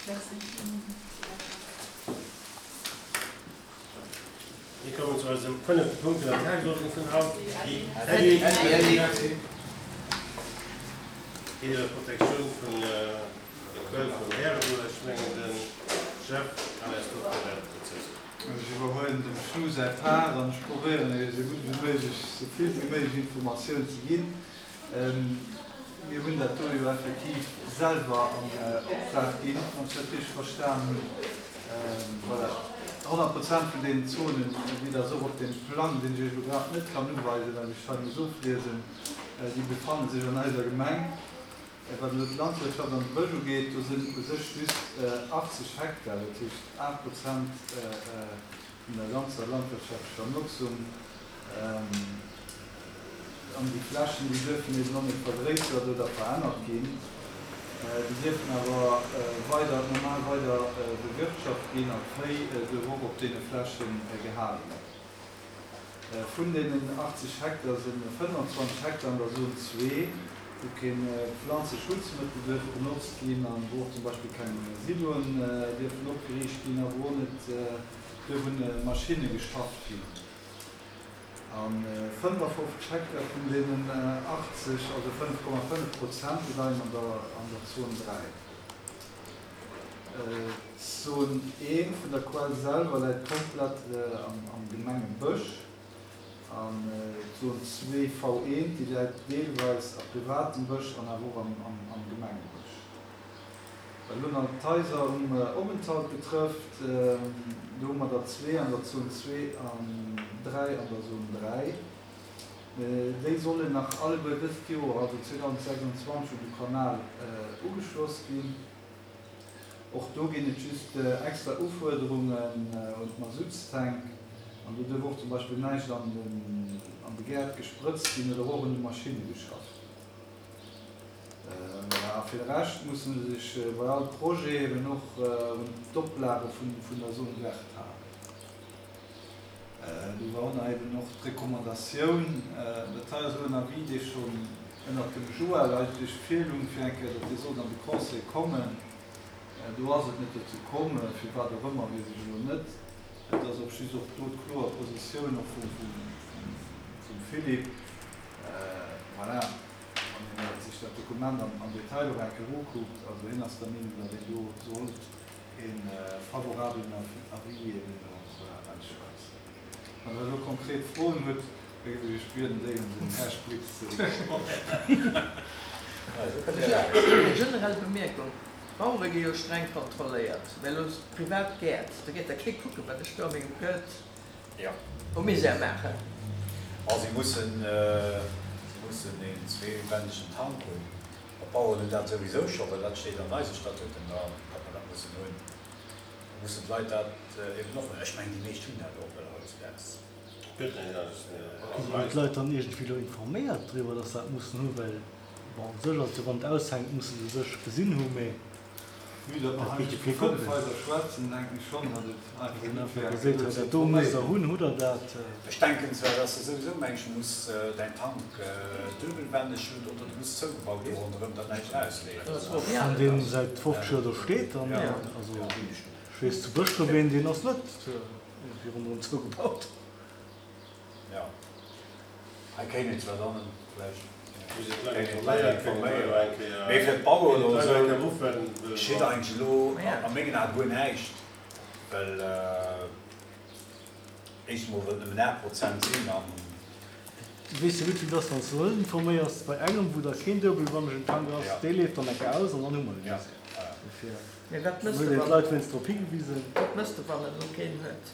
Merci. Mir kommen zu eisem fënnefte Punkt vun der Tagesordnung vun haut, déi iwwer d'Protektioun vun der Quell vum Ärebuer. Ech mengen, de Jeff kann eis do méi dozou soen. Ech iwwerhuelen dem Schlu säi Part an ech probéieren iech esou gutt wéi méiglech esou vill wéi méiglech Informatioun ze ginn. Mir hunn dat do jo effektiv selwer an Optrag ginn, wann ech dat richteg verstan hunn. Voilà, 100 Prozent vun deenen Zonen, wéi Der se och op deem Plang, deen ech Iech elo grad net kann uweisen, well ech hei muss ofliesen, déi befanne sech an eiser Gemeng. Wat elo d'Landwirtschaft an de Bësch ugeet, do sinn u sech just 80 Hektar, dat heescht 8 Prozent vun der ganzer landwirtschaftlecher Notzung. An déi Flächen, déi duerfen eben och net vergréissert oder verännert ginn. Déi dierfen awer weider normal weider bewirtschaft ginn an d'Véi duerf och op deene Fläche gehale ginn. Vun deenen 80 Hektar si 25 Hektar an der Zon 2, wou kee Pflanzeschutzmëttel duerf benotzt ginn an wou och zum Beispill keng Siloen dierfen opgeriicht ginn a wou och net duerf un Maschinne geschafft ginn. A 55 Hektar vun deenen 80, also 5,5 Prozent, déi leien an der Zon 3. D'Zon 1 vun der Quell selwer läit komplett am Gemengebësch. An d'Zon 2, V1, déi läit deelweis a privatem Bësch an awer och am Gemengebësch. Wat elo nach d'Haiser um Openthalt betrëfft, do hu mer der zwee an der Zon 2 an dräi an der Zon 3. Déi sollen nach alleguer dëst Joer, also 2026, un de Kanal ugeschloss ginn. Och do ginn et just extra Ufuerderungen un d'Masuttstank an do duerf och zum Beispill näischt an de Gäert gesprëtzt ginn oder och un de Maschinne geschafft ginn. A fir de Rescht musse se sech bei all Projet eben och un d'Oplage vun der Zone verte halen. Do war och nach eben och d'Recommandatioun, dat hei ass elo en Avis, dee schonn ënnert dem Joël eigentlech virlung, fir eng Kéier, datt dee sollt an de Conseil kommen. Do ass et net dozou komm, firwat och ëmmer, weess ech elo net. Et ass och just och do d'kloer Positioun och vum Philippe. Voilà. Wann een sech dat Dokument am Detail och eng Kéier ukuckt, also hien ass der Meenung, datt een do sollt e favorabelen Avis eben och ausschwätzen. Wann Der elo konkret Froen hutt, da géif ech Iech bieden, déi un den Här Splitz ze riichten. Eng generell Bemierkung, D'Bauere gi jo streng kontrolléiert, mä elo privat Gäert, do geet da kee kucken, wat ech do a mengem Gaart O Misär maachen. A si mussen, si mussen een zweewännegen Tank hunn. Op d'Baueren hunn dat souwisou scho, well dat steet an eise Statuten dran, datt mer dat mussen hunn. Da mussen d'Leit dat eben och hunn. Ech mengen, déi meescht hunn dat och, well hautdesdaags. Gëtt net anescht méi. Ginn d'Leit dann iergendwéi elo informéiert driwwer, datt se dat mussen hunn? Well, bon, u sech ass et jo, wann et aushänkt, musse se sech gesinn hu, mee. Vue datt mer hei just vu 5 Haiser schwätzen, denken ech schonn, datt et einfach gutt wär, fir dozou ze informéieren. Ech denken zwar, datt s de souwisou mengs, du muss däin Tank duebelwänneg hunn oder du hues zougebaut do ronderëm, datt näischt erausleeft. Wann deen säit 50 Joer do steet, dann, also ech weess zu Bëschdref een, deen ass net iergendwéi ronderëm zougebaut. Jo, hei kéint een zwar dann vläicht informéieren, mee fir d'Baueren oder esou geschitt eigentlech elo a mengen Ae guer näischt, well éischt emol well et nëmmen 8 Prozent sinn an. Du weess jo gutt wéi et ass, wann s du net informéiers bei engem wou da keen duebelwannegen Tank ass, dee leeft dann eng Kéier aus an dann hu mer de Misär. Dofir huet een d'Leit wéinst drop higewisen. Wat mëss de wann en elo keen huet?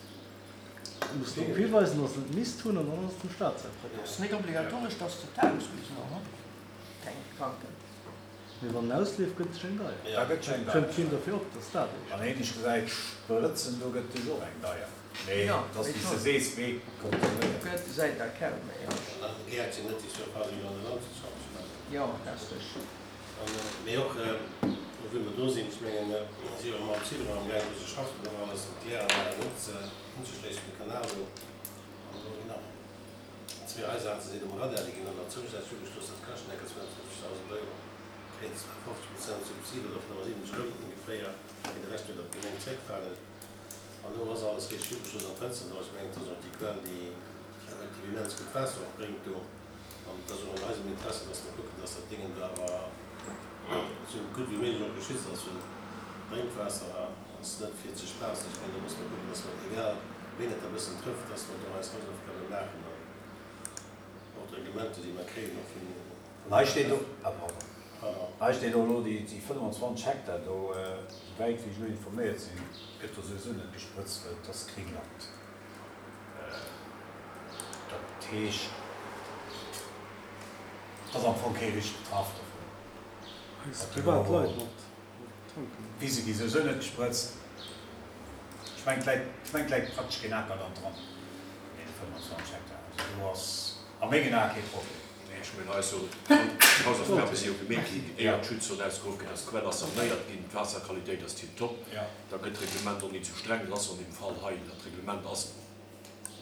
Muss drop hiweisen, dass se et misst hunn, an dann ass et dem Staat säi Problem. Ass net obligatoresch, dass de tanks bis elo, hm? Keng Kranken. Mee wann en ausleeft, gëtt sech eng deier. Da gëtt sech eng deier. Fënnt keen derfir op, dass dat eescht An ähnlech gesäit Sprëtzen, do gëtt sech och eng deier. Mee et ass, wéi s de sees, méi kontrolléiert. Gëtt säit der kaum méi. An Gäert sinn net déi Surface wéi an der Landwirtschaft, ech mengen. Jo, dat ass richteg. Mee och, wou mer do sinn, ech mengen, mir si jo mam Zidron am gaangen do ze schaffen, och alles mat Kläranlagen unzeschléissen, de Kanal do. An do ginn nach zwee Haiser, se sinn um Radar, déi ginn dann nach zousätzlech ugeschloss. Dat kascht enker 250.000 Euro, kréien 50 Prozent Subsid oder 75 rëm ongeféier. zréckfalen. An do ass alles richteg ugeschloss an d'Fënsteren do. Ech mengen, et ass och déi Quell, déi effektiv immens gutt Waasser och bréngt do. An et ass och an eisem Interesse, dass mer kucken, dass dat Déngen do awer esou gutt wéi méiglech och geschützt ass, well Drénkwaasser ass net fir ze spaassen. Ech mengen, do musse mer kucken, dass mer, egal ween et e bëssen trëfft, dass mer do eis Hausaufgabe maachen an och d'Reglementer, déi mer kréien, och vun. An hei steet och, ah pardon, hei steet och elo déi 25 Hektar do, esouwäit wéi ech elo informéiert sinn, gëtt do souwisou net gesprëtzt, well et ass Gringland. Dat heescht, et ass am Fong kee richteg betraff dovun. Privat Leit mat tanken. D'Wise gi souwisou net gesprëtzt. Ech mengen, et läit, ech mengen, et läit praktesch keen Aker dann dran, an deene 25 Hektar. Also do ass a mengen Ae kee Problem. Nee, ech mengen, hei ass jo d'Hausaufgabe si jo gemeet ginn, éier d'Schutzzon ausgeruff ginn ass. D'Quell ass sanéiert ginn, d'Waasserqualitéit ass tiptop. Da gëtt d'Reglement och nit sou streng. Dat ass an deem Fall hei, dat Reglement ass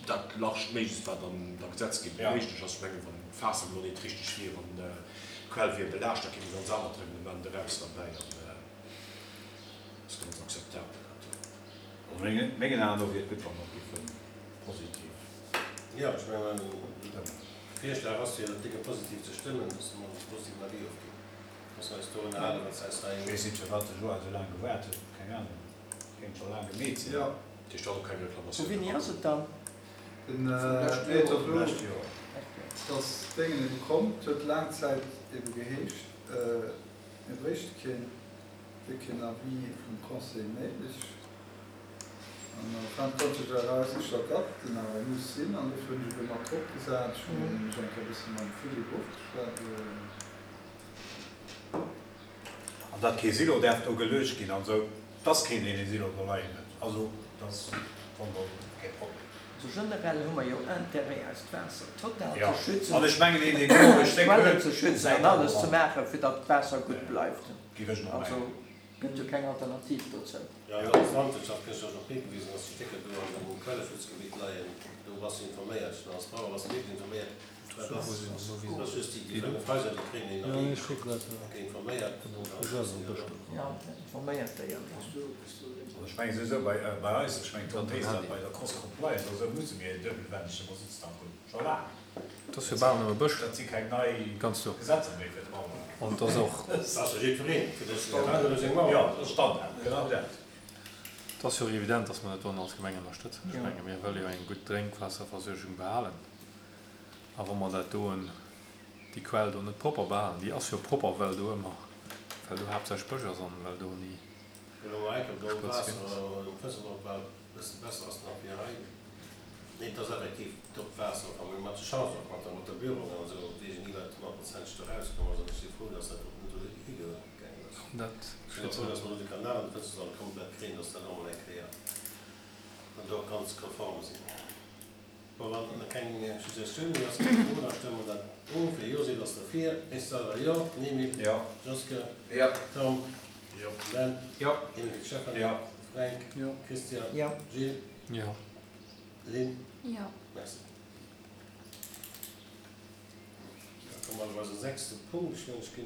dat largst Méiglechst, wat an der Gesetzgebung méiglech ass. Ech mengen, wann d'Faasser elo nit richteg wier an d'Quell wier belaascht, da kéim e ganz anert Reglement eraus derbäi an ass ganz akzeptabel dat do. Also mengen Aen no wier et gutt, wa mer et géife positiv Jo, ech mengen, de Virschlag ass jo, dat Dénge positiv ze stëmmen, dass mer e positiven Avis ofginn. Dass mer eis do ënnerhalen, wat se eis hei. Ech weess net, firwat de Joa esou laang gewaart huet. Keng Ahnung. Kéint scho laang gemeet sinn. Jo. Dat heescht, do ass och keng Vu Reklamatioun wéini ass erakomm. et dann? Den Meet och elo, dass d'Déngen ebe komm. Et huet laang Zäit ebe geheescht, mir bréichte keen, wier keen Avis vum Conseil néideg. An en fin de compte huet sech erausgestallt, datt en awer muss sinn. An dofir hunn ech ebe mat drop gesat. Ech hunn mech eng Kéier e bësse mam Philippe ofgeschwat. An datt kee Silo däerf do geluecht ginn an esou, et ass keen, deen ee Silo do leien huet. Also dat ass am Fong kee Problem. Also generell hu mer jo Intérêt, eist Waasser total ze schützen, An ech mengen, een, deen do e Stéck Quellen huet, ze schützen säit an dat alles och ze an. maachen, fir datt d'Waasser gutt bleift. Géif ech mol Also mengen. gëtt jo keng Alternativ dozou. Jo, an der Landwirtschaft gëschter ass och higewisen, datt déi Stécker do an dem Quelleschutzgebitt leien. Do bass du informéiert. Als Bauer bass du wierklech informéiert. Also ech mengen souwisou bei eis, ech mengen d'Honn weess dat, bei der Cross Compliance oder esou musse mir een duebelwännege Masuttstank hunn, scho laang. Dat ass fir bal nëmme Bësch. Dat si keng nei Gesetzer méi fir d'Baueren. An et ass och. Dat ass fir jiddwereen, fir de Jo, dat ass Standard, genau dat. Et ass jo och evident, dass mer dat do als Gemeng ënnerstëtzen. Ech menge mir wëlle jo eng gutt Drénkwaasserversuergung behalen. A wa mer dat doen, déi Quell do net propper behalen, déi ass jo propper, well do ëmmer, well do haaptsächlech Bësch ass an well do ni Spëtz ginn ass. Dat steet sou. Bon, wann et keng Suggestioun méi ass, keng Fro, da stëmme mer dat of. Wie Jo seet, ass derfir. Ech selwer jo. Nimi? Jo. Joske? Jo. Tom? Jo. Ben? Jo. Ingrid Stephanie? Jo. Fränk? Jo. Christian? Jo. Jill? Jo. Lynn? Jo. Merci. Da komme mer op eise sechste Punkt. Ech mengen, ech ginn.